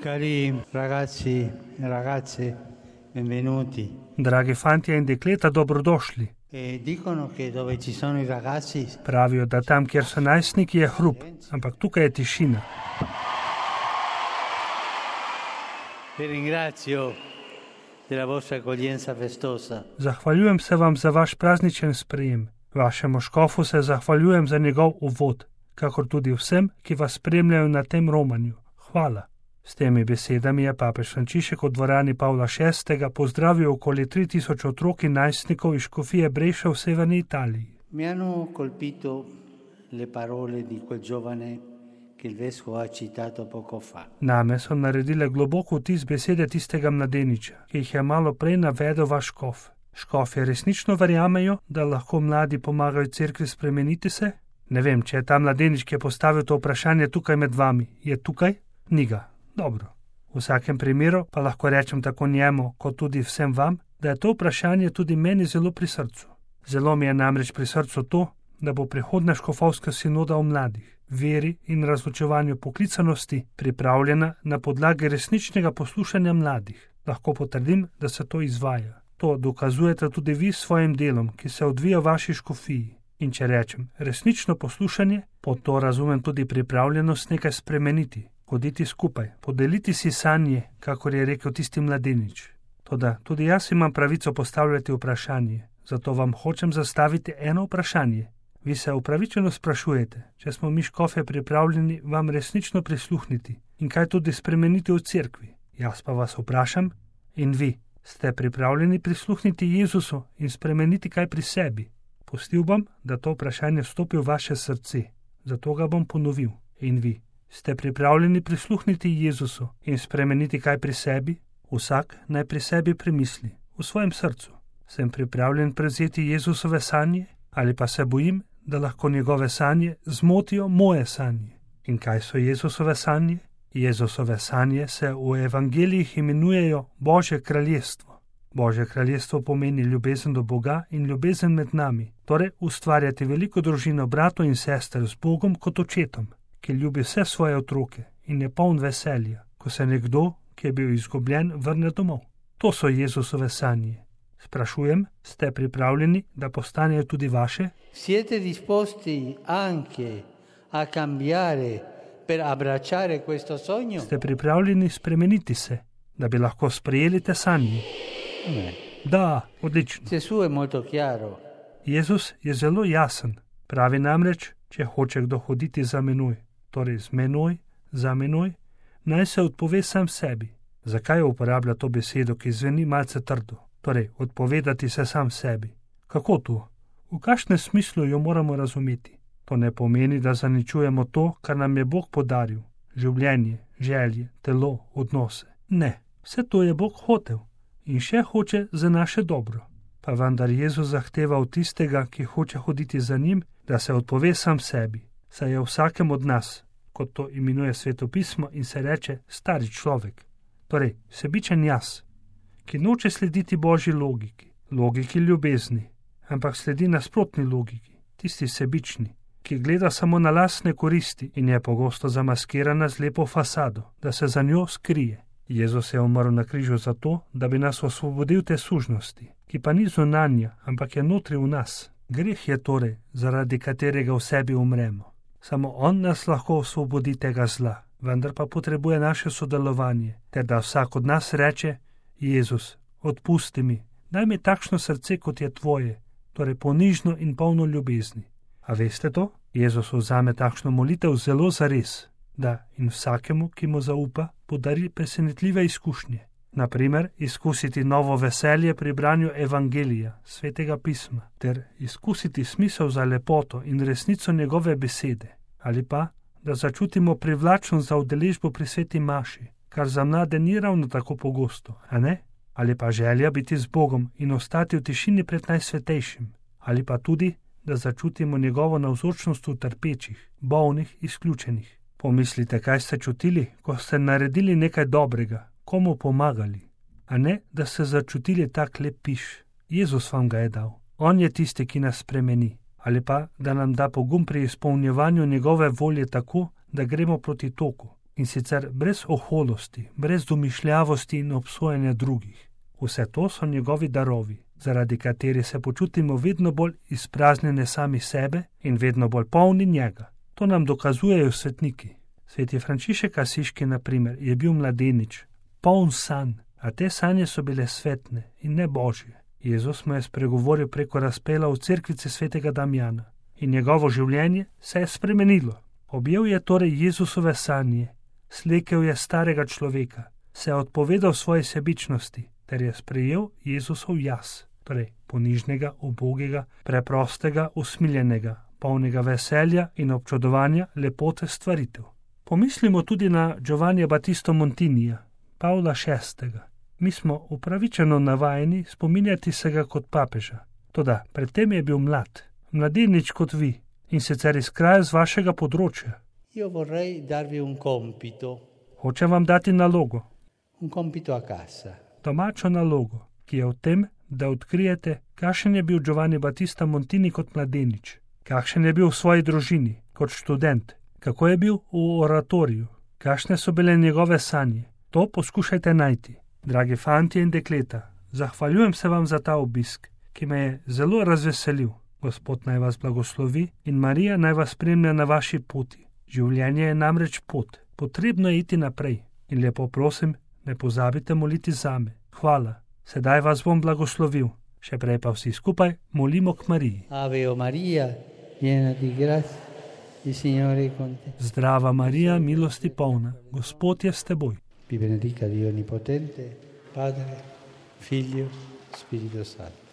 Cari ragazzi e ragazze, benvenuti. Dragi fantje in dekleta, dobrodošli. E dicono che dove ci sono i ragazzi Pravijo, da tam, kjer so najstniki, je hrup, ampak tukaj je tišina. vi ringrazio della vostra accoglienza festosa. Zahvaljujem se vam za vaš prazničen sprejem. Vašemu škofu se zahvaljujem za njegov uvod, kakor tudi vsem, ki vas spremljajo na tem romanju. Hvala. S temi besedami je papež Frančišek v dvorani Pavla VI. Pozdravil okoli 3000 otrok in najstnikov iz škofije Brescia v severni Italiji. Mi hanno colpito le parole di quel giovane che il vescovo ha citato poco fa. Name so naredile globoko vtis besede tistega mladeniča, ki jih je malo prej navedel vaš škof. Škofje resnično verjamejo, da lahko mladi pomagajo cerkvi spremeniti se? Ne vem, če je ta mladenič, ki je postavil to vprašanje tukaj med vami. Je tukaj? Ni ga. Dobro. V vsakem primeru pa lahko rečem tako njemu, kot tudi vsem vam, da je to vprašanje tudi meni zelo pri srcu. Zelo mi je namreč pri srcu to, da bo prihodnja škofovska sinoda o mladih, veri in razločevanju poklicanosti pripravljena na podlagi resničnega poslušanja mladih. Lahko potrdim, da se to izvaja. To dokazujete tudi vi s svojim delom, ki se odvija v vaši škofiji. In če rečem resnično poslušanje, pod to razumem tudi pripravljenost nekaj spremeniti. Hoditi skupaj, podeliti si sanje, kakor je rekel tisti mladenič. Toda tudi jaz imam pravico postavljati vprašanje, zato vam hočem zastaviti eno vprašanje. Vi se upravičeno sprašujete, če smo mi škofje pripravljeni vam resnično prisluhniti in kaj tudi spremeniti v cerkvi. Jaz pa vas vprašam, in vi, ste pripravljeni prisluhniti Jezusu in spremeniti kaj pri sebi? Pustil bom, da to vprašanje vstopi v vaše srce, zato ga bom ponovil. In vi, ste pripravljeni prisluhniti Jezusu in spremeniti kaj pri sebi? Vsak naj pri sebi premisli, v svojem srcu. Sem pripravljen prevzeti Jezusove sanje ali pa se bojim, da lahko njegove sanje zmotijo moje sanje? In kaj so Jezusove sanje? Jezusove sanje se v evangelijih imenujejo Božje kraljestvo. Božje kraljestvo pomeni ljubezen do Boga in ljubezen med nami, torej ustvarjati veliko družino bratov in sester z Bogom kot očetom, ki ljubi vse svoje otroke in je poln veselja, ko se nekdo, ki je bil izgubljen, vrne domov. To so Jezusove sanje. Sprašujem, ste pripravljeni, da postanejo tudi vaše? Siete disposti anche a cambiare per abbracciare questo sogno? Ste pripravljeni spremeniti se, da bi lahko sprejeli te sanje? Da, odlično. Gesù è molto chiaro. Jezus je zelo jasen. Pravi namreč, če hoče kdo hoditi za menoj, torej z menoj, za menoj, naj se odpove sam sebi. Zakaj uporablja to besedo, ki zveni malce trdo? Torej, odpovedati se sam sebi. Kako to? V kakšnem smislu jo moramo razumeti? To ne pomeni, da zaničujemo to, kar nam je Bog podaril. Življenje, želje, telo, odnose. Ne, vse to je Bog hotel in še hoče za naše dobro. Pa vendar Jezus zahteva od tistega, ki hoče hoditi za njim, da se odpove sam sebi, saj je vsakem od nas, kot to imenuje Svetopismo in se reče stari človek. Torej, sebičen jaz, ki noče slediti Božji logiki ljubezni, ampak sledi nasprotni logiki, tisti sebični, ki gleda samo na lastne koristi in je pogosto zamaskirana z lepo fasado, da se za njo skrije. Jezus je umrl na križu zato, da bi nas osvobodil te sužnosti, ki pa ni zunanja, ampak je notri v nas. Greh je torej, zaradi katerega v sebi umremo. Samo on nas lahko osvobodi tega zla, vendar pa potrebuje naše sodelovanje, ter da vsak od nas reče: Jezus, odpusti mi, daj mi takšno srce, kot je tvoje, torej ponižno in polno ljubezni. A veste to? Jezus vzame takšno molitev zelo zares, da in vsakemu, ki mu zaupa, podari presenetljive izkušnje. Naprimer, izkusiti novo veselje pri branju Evangelija, Svetega pisma, ter izkusiti smisel za lepoto in resnico njegove besede, ali pa, da začutimo privlačnost za udeležbo pri sveti maši, kar za mlade ni ravno tako pogosto, a ne? Ali pa želja biti z Bogom in ostati v tišini pred najsvetejšim, ali pa tudi, da začutimo njegovo navzočnost v trpečih, bolnih, izključenih. Pomislite, kaj ste čutili, ko ste naredili nekaj dobrega, komu pomagali, a ne, da ste začutili tak lep piš. Jezus vam ga je dal. On je tisti, ki nas spremeni. Ali pa, da nam da pogum pri izpolnjevanju njegove volje tako, da gremo proti toku. in sicer brez oholosti, brez domišljavosti in obsojanja drugih. Vse to so njegovi darovi, zaradi katerih se počutimo vedno bolj izpraznjene sami sebe in vedno bolj polni njega. To nam dokazujejo svetniki. Sveti Frančišek Asiški, na primer, je bil mladenič, poln sanj, a te sanje so bile svetne in ne božje. Jezus mu je spregovoril preko razpela v cerkvici svetega Damjana in njegovo življenje se je spremenilo. Objel je torej Jezusove sanje, slekel je starega človeka, se je odpovedal svoji sebičnosti ter je sprejel Jezusov jaz, torej ponižnega, ubogega, preprostega, usmiljenega, polnega veselja in občudovanja lepote stvaritev. Pomislimo tudi na Giovannija Battista Montinija, Pavla VI. Mi smo upravičeno navajeni spominjati se ga kot papeža. Toda predtem je bil mladenič kot vi, in sicer iz kraja z vašega področja. Io vorrei darvi un compito. Hočem vam dati nalogo. Un compito a casa. Domačo nalogo, ki je v tem, da odkrijete, kakšen je bil Giovanni Battista Montini kot mladenič, kakšen je bil v svoji družini, kot študent, kako je bil v oratoriju, kakšne so bile njegove sanje. To poskušajte najti. Dragi fantje in dekleta, zahvaljujem se vam za ta obisk, ki me je zelo razveselil. Gospod naj vas blagoslovi in Marija naj vas spremlja na vaši poti. Življenje je namreč pot, potrebno je iti naprej. In lepo prosim, ne pozabite moliti zame. Hvala, sedaj vas bom blagoslovil. Še prej pa vsi skupaj molimo k Mariji. Ave Maria, piena di grazia, il Signore è con te. Zdrava Marija, milosti polna, Gospod je s teboj. Vi benedica Dio Onnipotente, Padre, Figlio, Spirito Santo.